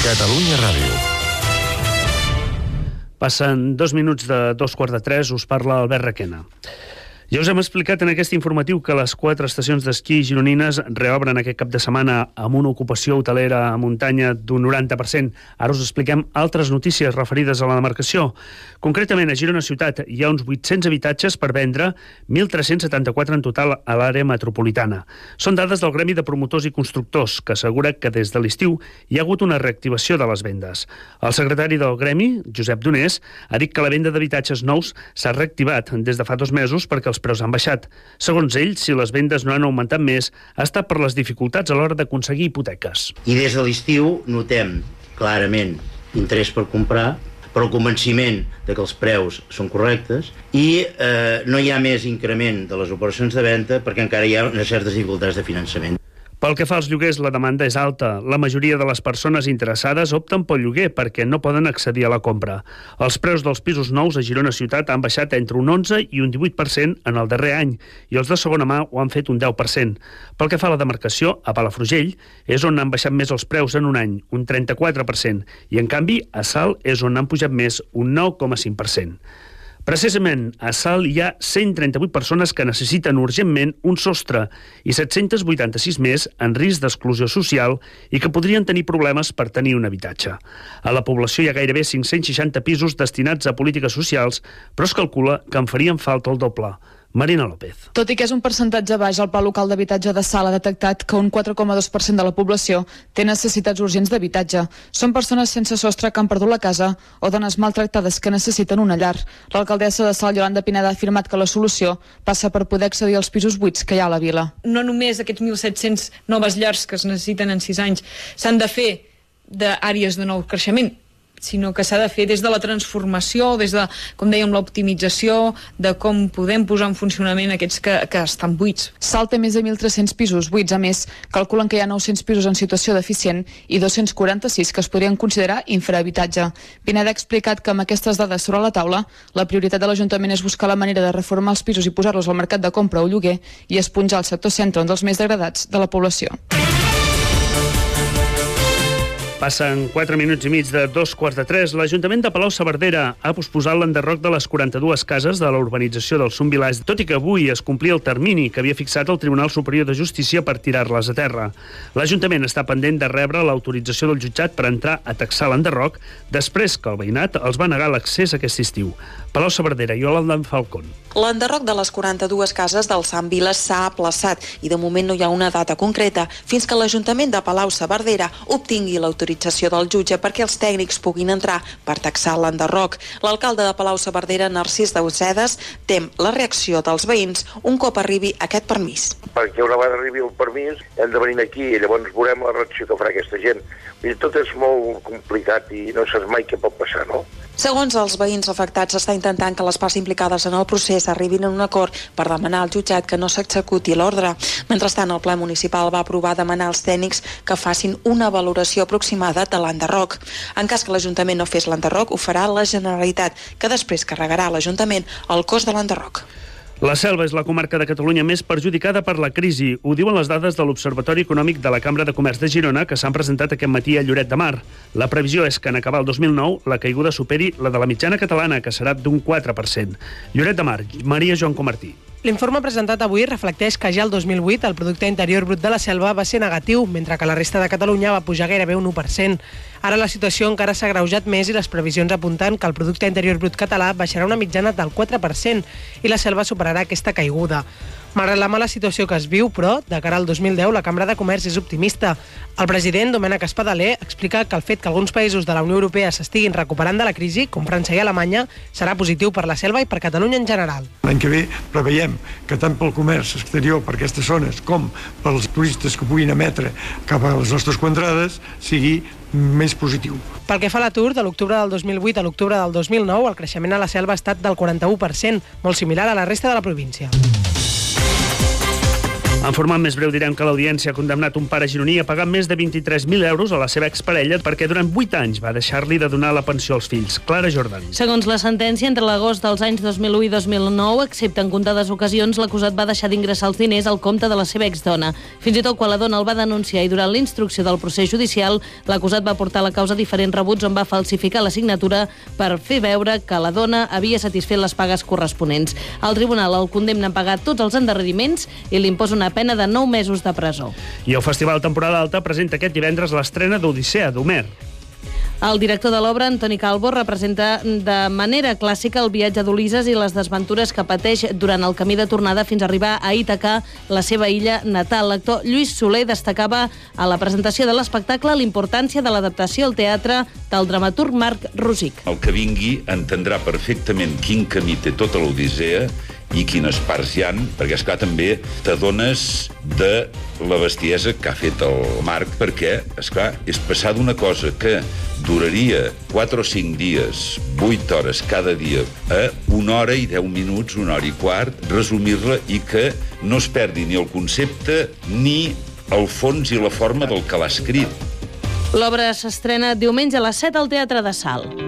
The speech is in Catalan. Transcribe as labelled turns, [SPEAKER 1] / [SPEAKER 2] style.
[SPEAKER 1] Catalunya Ràdio.
[SPEAKER 2] Passen 2 minuts de 2:15, us parla Albert Requena. Ja us hem explicat en aquest informatiu que les 4 estacions d'esquí gironines reobren aquest cap de setmana amb una ocupació hotelera a muntanya d'un 90%. Ara us expliquem altres notícies referides a la demarcació. Concretament, a Girona Ciutat hi ha uns 800 habitatges per vendre, 1.374 en total a l'àrea metropolitana. Són dades del Gremi de Promotors i Constructors, que assegura que des de l'estiu hi ha hagut una reactivació de les vendes. El secretari del Gremi, Josep Donés, ha dit que la venda d'habitatges nous s'ha reactivat des de fa 2 mesos perquè els preus han baixat. Segons ell, si les vendes no han augmentat més, ha estat per les dificultats a l'hora d'aconseguir hipoteques.
[SPEAKER 3] I des de l'estiu notem clarament interès per comprar, però el convenciment de que els preus són correctes i no hi ha més increment de les operacions de venda perquè encara hi ha unes certes dificultats de finançament.
[SPEAKER 2] Pel que fa als lloguers, la demanda és alta. La majoria de les persones interessades opten pel lloguer perquè no poden accedir a la compra. Els preus dels pisos nous a Girona Ciutat han baixat entre un 11 i un 18% en el darrer any i els de segona mà ho han fet un 10%. Pel que fa a la demarcació, a Palafrugell és on han baixat més els preus en un any, un 34%, i en canvi a Salt és on han pujat més, un 9,5%. Precisament, a Salt hi ha 138 persones que necessiten urgentment un sostre i 786 més en risc d'exclusió social i que podrien tenir problemes per tenir un habitatge. A la població hi ha gairebé 560 pisos destinats a polítiques socials, però es calcula que en farien falta el doble. Marina López.
[SPEAKER 4] Tot i que és un percentatge baix, el Pla Local d'Habitatge de Salt ha detectat que un 4,2% de la població té necessitats urgents d'habitatge. Són persones sense sostre que han perdut la casa o dones maltractades que necessiten una llar. L'alcaldessa de Salt, Yolanda Pineda, ha afirmat que la solució passa per poder accedir als pisos buits que hi ha a la vila.
[SPEAKER 5] No només aquests 1.700 noves llars que es necessiten en 6 anys s'han de fer d'àrees de nou creixement, sinó que s'ha de fer des de la transformació, des de, com dèiem, l'optimització, de com podem posar en funcionament aquests que estan buits.
[SPEAKER 4] Salt té més de 1.300 pisos buits. A més, calculen que hi ha 900 pisos en situació deficient i 246 que es podrien considerar infrahabitatge. Pineda ha explicat que amb aquestes dades sobre la taula, la prioritat de l'Ajuntament és buscar la manera de reformar els pisos i posar-los al mercat de compra o lloguer i esponjar el sector centre, un dels més degradats de la població.
[SPEAKER 2] Passen 4 minuts i mig de 2:15. L'Ajuntament de Palau-saverdera ha posposat l'enderroc de les 42 cases de la urbanització del Son Vilàs, tot i que avui es complia el termini que havia fixat el Tribunal Superior de Justícia per tirar-les a terra. L'Ajuntament està pendent de rebre l'autorització del jutjat per entrar a taxar l'enderroc després que el veïnat els va negar l'accés aquest estiu. Palau-saverdera i Yolanda Falcón.
[SPEAKER 6] L'enderroc de les 42 cases del Sant Vilàs s'ha aplaçat i de moment no hi ha una data concreta fins que l'Ajuntament de Palau-saverdera obtingui l'autorització del jutge perquè els tècnics puguin entrar per taxar l'enderroc. L'alcalde de Palau-saverdera, Narcís Dausedes, tem la reacció dels veïns un cop arribi aquest permís.
[SPEAKER 7] Perquè una vegada arribi el permís hem de venir aquí i llavors veurem la reacció que farà aquesta gent. Tot és molt complicat i no saps mai què pot passar, no?
[SPEAKER 6] Segons els veïns afectats, s'està intentant que les parts implicades en el procés arribin a un acord per demanar al jutjat que no s'executi l'ordre. Mentrestant, el ple municipal va aprovar demanar als tècnics que facin una valoració aproximada de l'enderroc. En cas que l'Ajuntament no fes l'enderroc, ho farà la Generalitat, que després carregarà a l'Ajuntament el cost de l'enderroc.
[SPEAKER 2] La Selva és la comarca de Catalunya més perjudicada per la crisi. Ho diuen les dades de l'Observatori Econòmic de la Cambra de Comerç de Girona que s'han presentat aquest matí a Lloret de Mar. La previsió és que en acabar el 2009 la caiguda superi la de la mitjana catalana, que serà d'un 4%. Lloret de Mar, Maria Joan Comartí.
[SPEAKER 8] L'informe presentat avui reflecteix que ja el 2008 el producte interior brut de la Selva va ser negatiu, mentre que la resta de Catalunya va pujar gairebé un 1%. Ara la situació encara s'ha agreujat més i les previsions apunten que el producte interior brut català baixarà una mitjana del 4% i la Selva superarà aquesta caiguda. Malgrat la mala situació que es viu, però, de cara al 2010, la Cambra de Comerç és optimista. El president, Domènec Espadaler, explica que el fet que alguns països de la Unió Europea s'estiguin recuperant de la crisi, com França i Alemanya, serà positiu per la Selva i per Catalunya en general.
[SPEAKER 9] L'any que ve preveiem que tant pel comerç exterior per aquestes zones com pels turistes que puguin emetre cap a les nostres contrades sigui més positiu.
[SPEAKER 8] Pel que fa a l'atur, de l'octubre del 2008 a l'octubre del 2009, el creixement a la Selva ha estat del 41%, molt similar a la resta de la província.
[SPEAKER 2] En format més breu direm que l'audiència ha condemnat un pare gironí a pagar més de 23.000 euros a la seva exparella perquè durant 8 anys va deixar-li de donar la pensió als fills. Clara Jordan.
[SPEAKER 1] Segons la sentència, entre l'agost dels anys 2001 i 2009, excepte en comptades ocasions, l'acusat va deixar d'ingressar els diners al compte de la seva exdona. Fins i tot quan la dona el va denunciar i durant la instrucció del procés judicial, l'acusat va portar a la causa diferents rebuts on va falsificar la signatura per fer veure que la dona havia satisfet les pagues corresponents. El tribunal el condemna a pagar tots els endarreriments i li imposa una pena de 9 mesos de presó.
[SPEAKER 2] I el Festival Temporada Alta presenta aquest divendres l'estrena d'Odissea, d'Homer.
[SPEAKER 1] El director de l'obra, Antoni Calvo, representa de manera clàssica el viatge d'Ulisses i les desventures que pateix durant el camí de tornada fins a arribar a Ítaca, la seva illa natal. L'actor Lluís Soler destacava a la presentació de l'espectacle l'importància de l'adaptació al teatre del dramaturg Marc Rosic.
[SPEAKER 10] El que vingui entendrà perfectament quin camí té tota l'Odissea i quines parts hi ha, perquè, esclar, també t'adones de la bestiesa que ha fet el Marc, perquè, esclar, és passar d'una cosa que duraria 4 o 5 dies, 8 hores cada dia, a 1 hora i 10 minuts, 1 hora i quart, resumir-la i que no es perdi ni el concepte ni el fons i la forma del que l'ha escrit.
[SPEAKER 1] L'obra s'estrena diumenge a les 7 al Teatre de Salt.